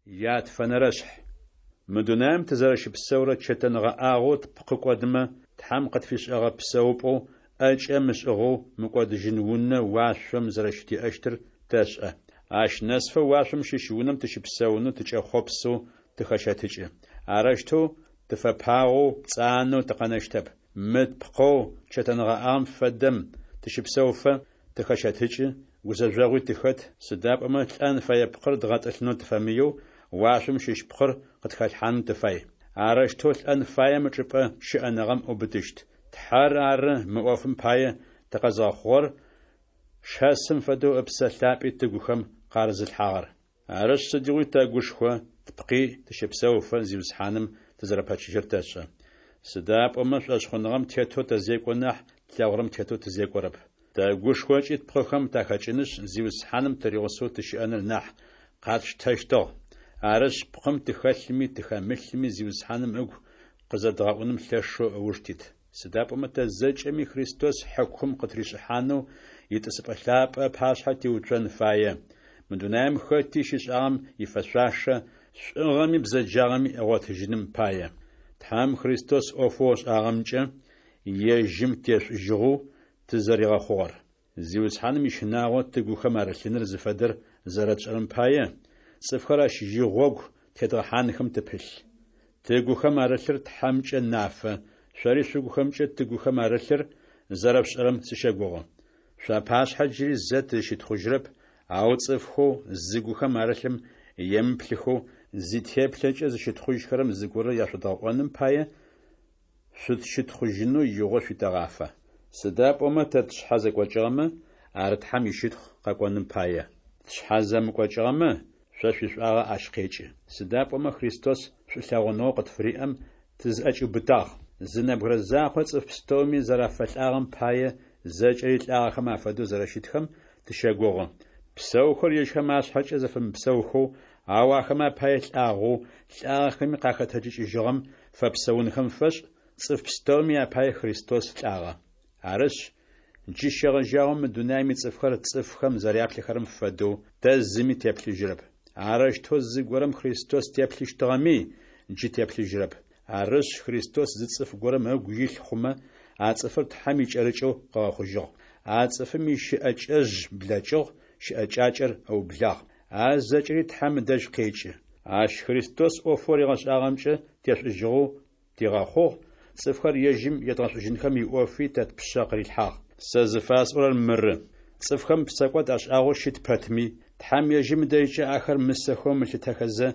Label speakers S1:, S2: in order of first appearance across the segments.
S1: Ятфэнэрэшъхь. Мы дунаем тызэрэщыпсэурэ чэтэн гъэӏагъэу тпкъы кӏодымэ, Тхьэм къытфишӏыгъэ псэупӏэу ӏэкӏэ мышӏыгъэу мыкӏодыжьын унэ уашъом зэрэщытиӏэщтыр тэшӏэ. Ащ нэсыфэ уашъом щыщ унэм тыщыпсэунэу тыкӏэхъопсэу тыхэщэтыкӏы. Арэущтэу тыфэпагъэу, пцӏанэу тыкъэнэщтэп. Мы тпкъэу чэтэнгъэӏагъэм фэдэм тыщэпсэуфэ, тыхэщэтыкӏы, гузэжъогъуи тыхэт, сыда пӏомэ лӏэн фэе пкъыр дгъэтӏылъынэу тыфэмыеу, уашъом щыщ пкъыр къытхалъхьаным тыфай. Арэущтэу лӏэн фаем ычӏыпӏэ щыӏэныгъэм ыубытыщт. Тхьэр ары мы ӏофым пае тыкъэзыгъэхъугъэр, шэсым фэдэу Ыпсэ Лъапӏи тыгухэм къарызылъхьагъэр. Арышъ, сыдигъуи тэгушхо, тпкъи тыщэпсэуфэ, Зиусхьаным тызэрэпэчыжьэр тэшӏэ. Сыда пӏомэ шӏошъхъуныгъэм тетэу тэзекӏо нахь, тлъэгъурэм тетэу тызекӏорэп. Тэгушхо ыкӏи тпкъыхэм тахэкӏынышъ, Зиусхьаным тыригъусэу тыщыӏэныр нахь къатштэщтыгъ. Арышъ, пкъым тыхэлъми тыхэмылъми Зиусхьаным ыгу къызэдгъэӏуным лъэшэу ыуж тит. Сыда пӏомэ тэ зэкӏэми Христос хьыкум къытришӏыхьанэу итӏысыпӏэ лъапӏэ ыпашъхьэ тиуцон фае, мы дунаем хэти щишӏагъэм ифэшъуашэ, шӏугъэми бзэджагъэми ыгъотыжьыным пае. Тхьэм Христос ӏофэу ышӏагъэмкӏэ ежьым тешӏужьыгъэу тызэригъэхъугъэр. Зиусхьаным ищынагъо тыгухэм арылъыныр зыфэдэр зэрэтшӏэрэм пае, цӏыфхэр ащ игъогу тедгъэхьанхэм тыпылъ. Тыгухэм арылъыр Тхьэмкӏэ нафэ, шъори шъугухэмкӏэ тыгухэм арылъыр зэрэшъушӏэрэм сыщэгугъы. Шъуапашъхьэ джыри зэ тызщытхъужьырэп, ау цӏыфхэу зыгухэм арылъым емыплъыхэу, зитеплъэкӏэ зыщытхъужьхэрэм зыгорэ яшъодгъэӏоным пае, шъутщытхъужьынэу игъо шъуитэгъафэ. Сыда пӏомэ тэ тшъхьэ зэкӏокӏыгъэмэ, ар Тхьэм ищытхъу къэкӏоным пае. Тшъхьэ зэмыкӏокӏыгъэмэ, шъо шъуишӏуагъэ ащ къекӏы. Сыда пӏомэ Христос шӏулъэгъуныгъэу къытфыриӏэм тызӏэкӏиубытагъ. Зы нэбгырэ закъо цӏыф пстэуми зэрафэлӏагъэм пае зэкӏэри лӏагъэхэм афэдэу зэрэщытхэм тыщэгугъы. Псэухэр ежьхэм ашъхьэкӏэ зэфэмыпсэухэу, ау ахэмэ апае лӏагъэу, лӏагъэхэми къахэтэджыкӏыжьыгъэм фэпсэунхэм фэшӏ, цӏыф пстэуми апае Христос лӏагъэ. Арышъ, джы щегъэжьагъэу мы дунаем ицӏыфхэр цӏыфхэм зэряплъыхэрэм фэдэу тэ зыми теплъыжьырэп. Арэущтэу зыгорэм Христос теплъыщтыгъэми, джы теплъыжьырэп. Арышъ, Христос зы цӏыф горэм ыгу илъ хъумэ, а цӏыфыр Тхьэм икӏэрыкӏэу къыгъэхъужьыгъ. А цӏыфым ищыӏэкӏэжъ блэкӏыгъ, щыӏэкӏакӏэр ыублагъ. А зэкӏэри Тхьэм ыдэжь къекӏы. Ащ Христос ӏофэу ригъэшӏагъэмкӏэ тешӏужьыгъэу тигъэхъугъ, цӏыфхэр ежьым едгъэшӏужьынхэм иӏофи тэ тпшъэ къырилъхьагъ. Сэ зыфасӏорэр мыры: цӏыфхэм псэкӏод ашӏагъэу щыт пэтми, Тхьэм ежьым ыдэжькӏэ ахэр мысэхэу ымылъытэхэзэ,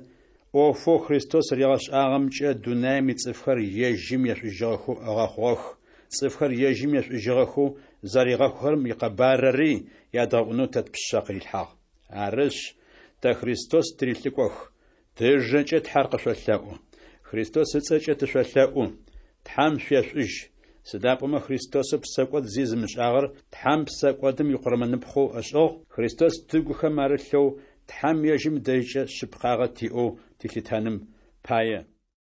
S1: ӏофэу Христос ригъэшӏагъэмкӏэ дунаем ицӏыфхэр ежьым ешӏужьыгъэхэу ыгъэхъугъэх, цӏыфхэр ежьым ешӏужьыгъэхэу зэригъэхъухэрэм икъэбарыри ядгъэӏунэу тэ тпшъэ къырилъхьагъ. Арышъ, тэ Христос тырилӏыкӏох, тыжэкӏэ Тхьэр къышъолъэӏу. Христос ыцӏэкӏэ тышъолъэӏу: Тхьэм шъуешӏужь. Сыда пӏомэ Христосэу псэкӏод зи зымышӏагъэр Тхьэм псэкӏодым икъурмэныпхъэу ышӏыгъ, Христос тыгухэм арылъэу, Тхьэм ежьым ыдэжькӏэ шъыпкъагъэ тиӏэу тилъытэным пае.